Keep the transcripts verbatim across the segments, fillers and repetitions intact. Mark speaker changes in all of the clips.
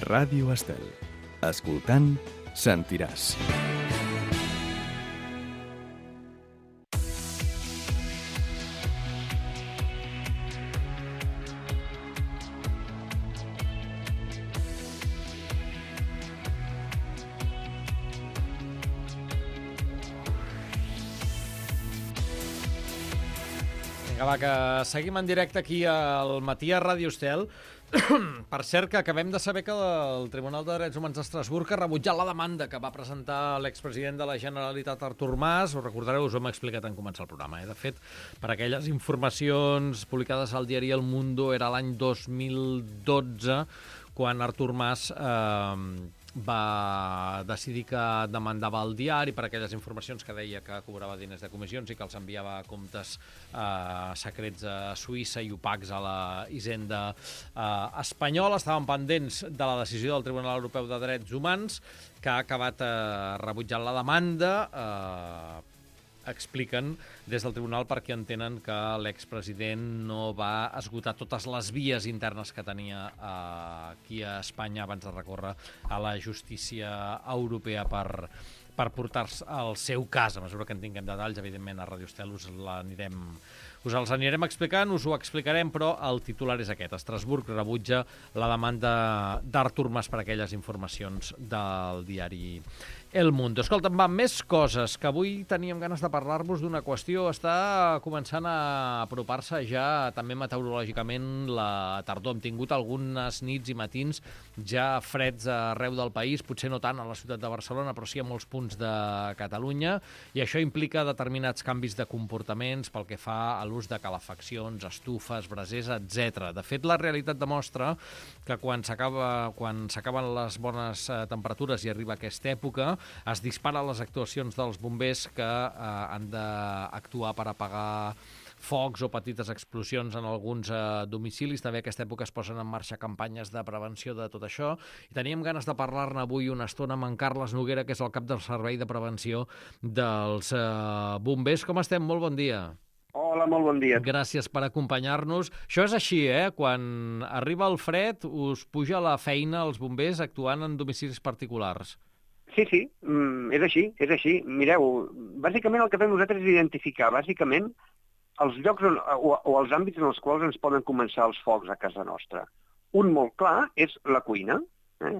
Speaker 1: Ràdio Estel. Escoltant, sentiràs.
Speaker 2: Vinga, va, que seguim en directe aquí al Matí a Ràdio Estel. Per cert, que acabem de saber que el Tribunal de Drets Humans d'Estrasburg ha rebutjat la demanda que va presentar l'expresident de la Generalitat, Artur Mas. Ho recordareu, us ho hem explicat en començar el programa. Eh? De fet, per aquelles informacions publicades al diari El Mundo, era l'any dos mil dotze, quan Artur Mas eh, va decidir que demandava el diari per aquelles informacions que deia que cobrava diners de comissions i que els enviava a comptes eh, secrets a Suïssa i opacs a la Hisenda eh, espanyola. Estaven pendents de la decisió del Tribunal Europeu de Drets Humans, que ha acabat eh, rebutjant la demanda. Eh, expliquen des del tribunal perquè entenen que l'expresident no va esgotar totes les vies internes que tenia eh, aquí a Espanya abans de recórrer a la justícia europea per, per portar el seu cas. A mesura que en tinguem detalls, evidentment, a Ràdio Estel us l'anirem us els anirem explicant, us ho explicarem, però el titular és aquest. Estrasburg rebutja la demanda d'Artur Mas per aquelles informacions del diari El Mundo. Escolta'm, va, més coses, que avui teníem ganes de parlar-vos d'una qüestió. Està començant a apropar-se ja també meteorològicament la tardor. Hem tingut algunes nits i matins ja freds arreu del país, potser no tant a la ciutat de Barcelona, però sí a molts punts de Catalunya, i això implica determinats canvis de comportaments pel que fa a l'ús de calefaccions, estufes, brasers, etcètera. De fet, la realitat demostra que quan s'acaba, quan s'acaben les bones eh, temperatures i arriba aquesta època, es disparen les actuacions dels bombers que eh, han d'actuar per apagar focs o petites explosions en alguns eh, domicilis. També a aquesta època es posen en marxa campanyes de prevenció de tot això. I teníem ganes de parlar-ne avui una estona amb en Carles Noguera, que és el cap del Servei de Prevenció dels eh, bombers. Com estem? Molt bon dia.
Speaker 3: Hola, molt bon dia.
Speaker 2: Gràcies per acompanyar-nos. Això és així, eh? Quan arriba el fred, us puja la feina als bombers actuant en domicilis particulars.
Speaker 3: Sí, sí, mm, és així, és així. Mireu, bàsicament el que fem nosaltres és identificar, bàsicament, els llocs on, o, o els àmbits en els quals ens poden començar els focs a casa nostra. Un molt clar és la cuina. Eh?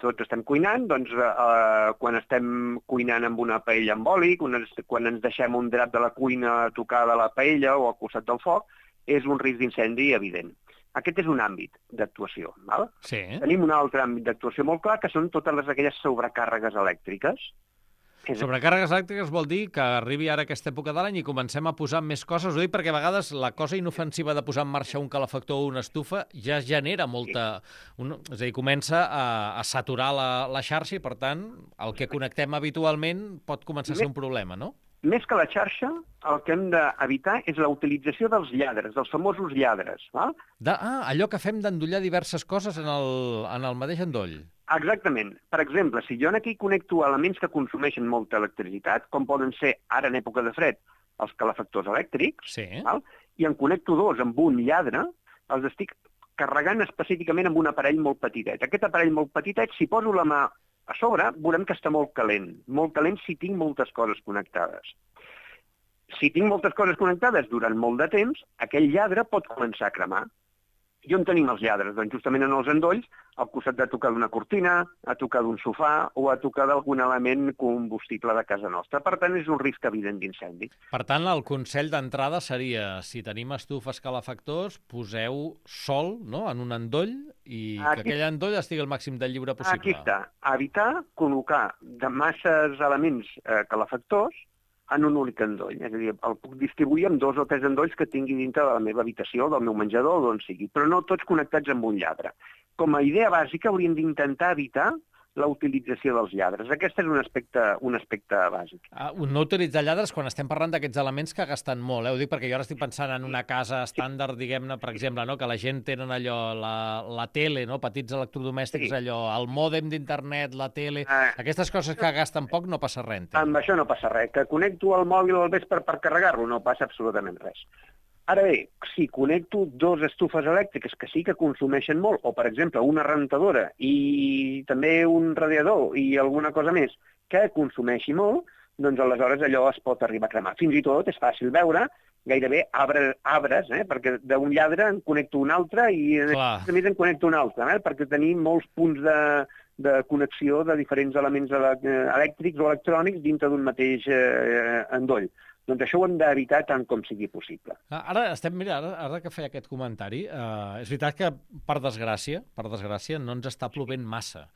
Speaker 3: Tots estem cuinant, doncs eh, quan estem cuinant amb una paella amb oli, quan ens, quan ens deixem un drap de la cuina a tocar de la paella o al costat del foc, és un risc d'incendi evident. Aquest és un àmbit d'actuació. Val?
Speaker 2: Sí.
Speaker 3: Tenim un altre àmbit d'actuació molt clar, que són totes les, aquelles sobrecàrregues elèctriques.
Speaker 2: Sobrecàrregues elèctriques vol dir que arribi ara aquesta època de l'any i comencem a posar més coses. Ho dic perquè a vegades la cosa inofensiva de posar en marxa un calefactor o una estufa ja genera molta... Un, és a dir, comença a, a saturar la, la xarxa i, per tant, el que connectem habitualment pot començar a ser un problema, no?
Speaker 3: Més que la xarxa, el que hem d'evitar és la utilització dels lladres, dels famosos lladres. Val?
Speaker 2: De, ah, allò que fem d'endollar diverses coses en el, en el mateix endoll.
Speaker 3: Exactament. Per exemple, si jo aquí connecto elements que consumeixen molta electricitat, com poden ser, ara en època de fred, els calefactors elèctrics,
Speaker 2: sí.
Speaker 3: Val? I en connecto dos amb un lladre, els estic carregant específicament amb un aparell molt petitet. Aquest aparell molt petitet, si poso la mà a sobre, veurem que està molt calent. Molt calent si tinc moltes coses connectades. Si tinc moltes coses connectades durant molt de temps, aquell lladre pot començar a cremar. I on tenim els lladres? Doncs justament en els endolls, al costat de tocar d'una cortina, a tocar d'un sofà o a tocar d'algun element combustible de casa nostra. Per tant, és un risc evident d'incendi.
Speaker 2: Per tant, el consell d'entrada seria, si tenim estufes calefactors, poseu sol, no?, en un endoll i Aquí... que aquell endoll estigui el màxim de lliure possible.
Speaker 3: Aquí està. Evitar col·locar de masses elements eh, calefactors en un únic endoll. És a dir, el puc distribuir en dos o tres endolls que tingui dintre de la meva habitació, del meu menjador o d'on sigui, però no tots connectats amb un lladre. Com a idea bàsica hauríem d'intentar evitar la utilització dels lladres. Aquest és un aspecte, un aspecte bàsic.
Speaker 2: Uh, no utilitzar lladres quan estem parlant d'aquests elements que gasten molt. Eh? Ho dic perquè jo ara estic pensant en una casa estàndard, diguem-ne, per exemple, no? Que la gent tenen allò, la, la tele, no? Petits electrodomèstics, sí. Allò, el mòdem d'internet, la tele... Uh, Aquestes coses que gasten poc no passa res.
Speaker 3: Amb això no passa res. Que connecto el mòbil al vespre per carregar-lo no passa absolutament res. Ara bé, si connecto dos estufes elèctriques que sí que consumeixen molt, o, per exemple, una rentadora i també un radiador i alguna cosa més que consumeixi molt, doncs aleshores allò es pot arribar a cremar. Fins i tot és fàcil veure gairebé arbres, arbres eh? perquè d'un lladre en connecto un altre i a més en connecto un altre, eh? perquè tenim molts punts de, de connexió de diferents elements elèctrics o electrònics dintre d'un mateix eh, endoll. Doncs això ho hem d'evitar tant com sigui possible.
Speaker 2: Ara estem, mira, ara, ara que feia aquest comentari, eh, és veritat que, per desgràcia, per desgràcia, no ens està plovent massa.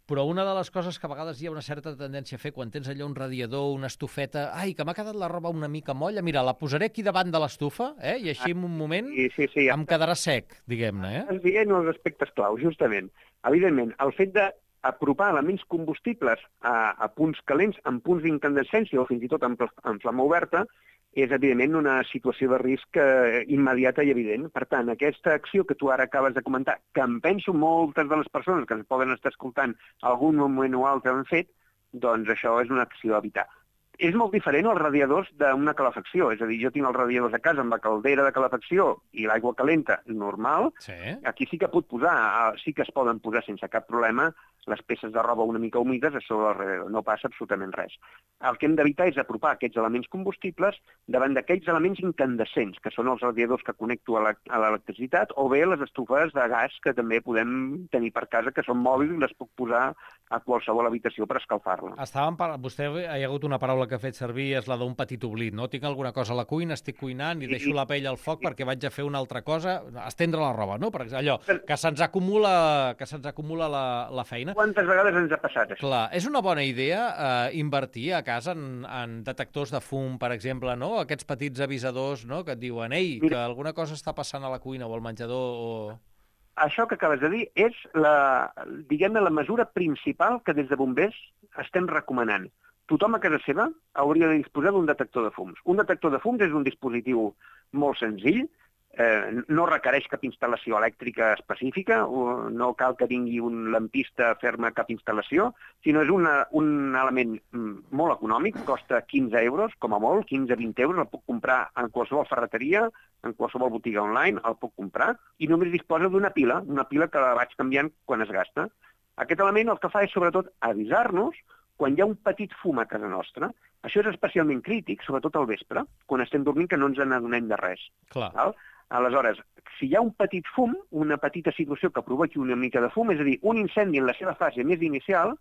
Speaker 2: Però una de les coses que a vegades hi ha una certa tendència a fer quan tens allò un radiador, una estufeta, ai, que m'ha quedat la roba una mica molla, mira, la posaré aquí davant de l'estufa, eh, i així en un moment
Speaker 3: sí, sí, sí, ja
Speaker 2: em quedarà sec, diguem-ne. Eh?
Speaker 3: Estàs dient els aspectes clau, justament. Evidentment, el fet de apropar elements combustibles a, a punts calents, en punts d'incandescència o fins i tot en, en flama oberta, és, evidentment, una situació de risc eh, immediata i evident. Per tant, aquesta acció que tu ara acabes de comentar, que em penso moltes de les persones que ens poden estar escoltant algun moment o altre han fet, doncs això és una acció a evitar. És molt diferent als radiadors d'una calefacció. És a dir, jo tinc els radiadors a casa amb la caldera de calefacció i l'aigua calenta normal.
Speaker 2: Sí.
Speaker 3: Aquí sí que pot posar, sí que es poden posar sense cap problema les peces de roba una mica humides a sobre el radiador. No passa absolutament res. El que hem d'evitar és apropar aquests elements combustibles davant d'aquells elements incandescents, que són els radiadors que connecto a l'electricitat, o bé les estufes de gas que també podem tenir per casa, que són mòbils i les puc posar a qualsevol habitació per escalfar-la.
Speaker 2: Estàvem par... Vostè hi ha hagut una paraula que ha fet servir, és la d'un petit oblit, no? Tinc alguna cosa a la cuina, estic cuinant i deixo la pell al foc perquè vaig a fer una altra cosa, estendre la roba, no? Per exemple, allò, que se'ns acumula, que se'ns acumula la, la feina.
Speaker 3: Quantes vegades ens ha passat això?
Speaker 2: Clar, és una bona idea eh, invertir a casa en, en detectors de fum, per exemple, no? Aquests petits avisadors, no?, que et diuen, ei, que alguna cosa està passant a la cuina o al menjador o...
Speaker 3: Això que acabes de dir és la, diguem-ne, la mesura principal que des de bombers estem recomanant. Tothom a casa seva hauria de disposar d'un detector de fums. Un detector de fums és un dispositiu molt senzill, eh, no requereix cap instal·lació elèctrica específica, o no cal que vingui un lampista a fer-me cap instal·lació, sinó és una, un element molt econòmic, costa quinze euros, com a molt, quinze a vint euros, el puc comprar en qualsevol ferreteria, en qualsevol botiga online, el puc comprar, i només disposa d'una pila, una pila que la vaig canviant quan es gasta. Aquest element el que fa és, sobretot, avisar-nos quan hi ha un petit fum a casa nostra. Això és especialment crític, sobretot al vespre, quan estem dormint, que no ens n'adonem de res.
Speaker 2: Clar.
Speaker 3: Val? Aleshores, si hi ha un petit fum, una petita situació que provoqui una mica de fum, és a dir, un incendi en la seva fase més inicial,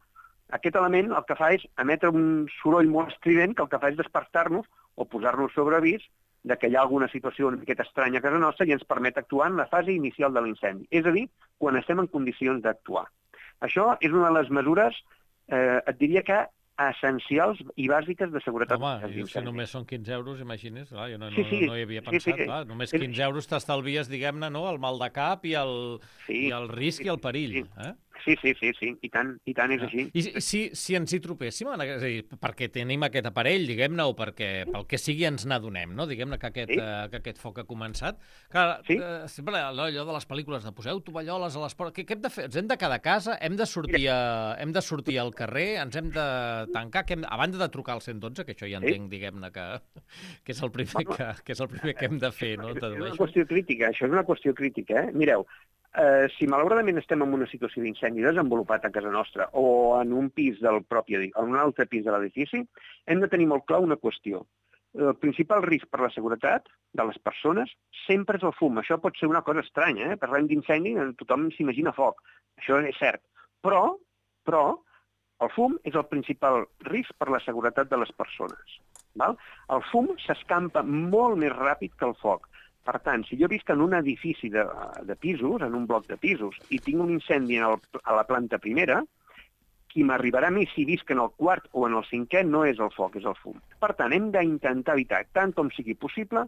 Speaker 3: aquest element el que fa és emetre un soroll molt estrident que el que fa és despertar-nos o posar-nos sobre avís de que hi ha alguna situació una miqueta estranya a casa nostra i ens permet actuar en la fase inicial de l'incendi. És a dir, quan estem en condicions d'actuar. Això és una de les mesures, eh, et diria que essencials i bàsiques de seguretat.
Speaker 2: Home, i si només són quinze euros, imagines, clar, jo no,
Speaker 3: sí, sí,
Speaker 2: no, no hi havia pensat, sí, sí. Clar, només quinze euros t'estalvies, diguem-ne, no?, el mal de cap i el, sí, i el risc sí, i el perill.
Speaker 3: Sí.
Speaker 2: Eh?
Speaker 3: Sí, sí, sí, sí, i tant, i tant és així.
Speaker 2: I si, si ens hi trobéssim, és a dir, perquè tenim aquest aparell, diguem-ne, o perquè pel que sigui ens n'adonem, no?, diguem-ne que, aquest, sí. uh, que aquest foc ha començat. Clar, sí. uh, sempre allò de les pel·lícules de poseu tovalloles a les portes, què, què hem de fer? Ens hem de quedar a casa, hem de sortir, a, hem de sortir al carrer, ens hem de tancar, que hem, a banda de trucar al cent dotze, que això ja entenc, sí. diguem-ne, que, que, és el primer que, que és el primer que hem de fer, no?
Speaker 3: És una qüestió crítica, això és una qüestió crítica, eh? Mireu, Uh, si malauradament estem en una situació d'incendi desenvolupat a casa nostra o en un pis del propi, en un altre pis de l'edifici, hem de tenir molt clar una qüestió. El principal risc per la seguretat de les persones sempre és el fum. Això pot ser una cosa estranya, eh? Parlem d'incendi, tothom s'imagina foc. Això és cert. Però, però, el fum és el principal risc per la seguretat de les persones. Val? El fum s'escampa molt més ràpid que el foc. Per tant, si jo visc en un edifici de, de pisos, en un bloc de pisos, i tinc un incendi en el, a la planta primera, qui m'arribarà a mi si visc en el quart o en el cinquè no és el foc, és el fum. Per tant, hem d'intentar evitar, tant com sigui possible,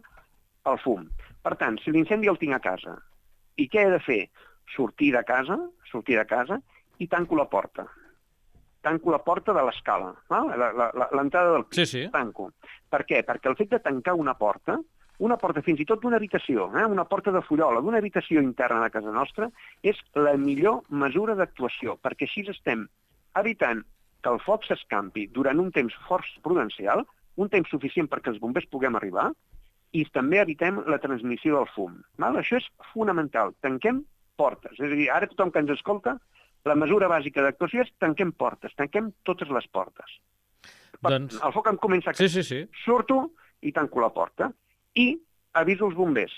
Speaker 3: el fum. Per tant, si l'incendi el tinc a casa, i què he de fer? Sortir de casa, sortir de casa, i tanco la porta. Tanco la porta de l'escala, l'entrada del pis,
Speaker 2: sí, sí.
Speaker 3: Tanco. Per què? Perquè el fet de tancar una porta, una porta fins i tot d'una habitació, eh? una porta de fullola, d'una habitació interna de casa nostra, és la millor mesura d'actuació, perquè així estem evitant que el foc s'escampi durant un temps força prudencial, un temps suficient perquè els bombers puguem arribar, i també evitem la transmissió del fum. Val? Això és fonamental. Tanquem portes. És a dir, ara tothom que ens escolta, la mesura bàsica d'actuació és tanquem portes, tanquem totes les portes.
Speaker 2: Doncs...
Speaker 3: El foc em comença a...
Speaker 2: Sí, sí, sí.
Speaker 3: Surto i tanco la porta. I aviso els bombers.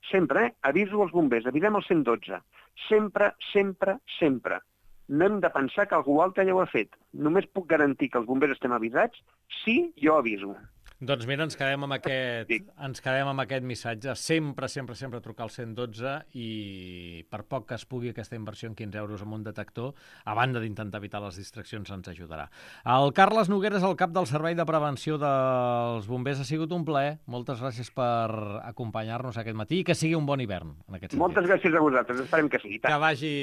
Speaker 3: Sempre, eh? Aviso els bombers. Avisem el cent dotze. Sempre, sempre, sempre. No hem de pensar que algú altre ja ho ha fet. Només puc garantir que els bombers estem avisats si jo aviso.
Speaker 2: Doncs mira, ens quedem amb aquest,
Speaker 3: Sí.
Speaker 2: ens quedem amb aquest missatge. Sempre, sempre, sempre trucar al cent dotze i per poc que es pugui aquesta inversió en quinze euros amb un detector, a banda d'intentar evitar les distraccions, ens ajudarà. El Carles Nogueres, el cap del Servei de Prevenció dels Bombers, ha sigut un plaer. Moltes gràcies per acompanyar-nos aquest matí i que sigui un bon hivern, en aquest sentit.
Speaker 3: Moltes gràcies a vosaltres. Esperem que sigui.
Speaker 2: Que vagi,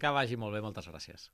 Speaker 2: que vagi molt bé. Moltes gràcies.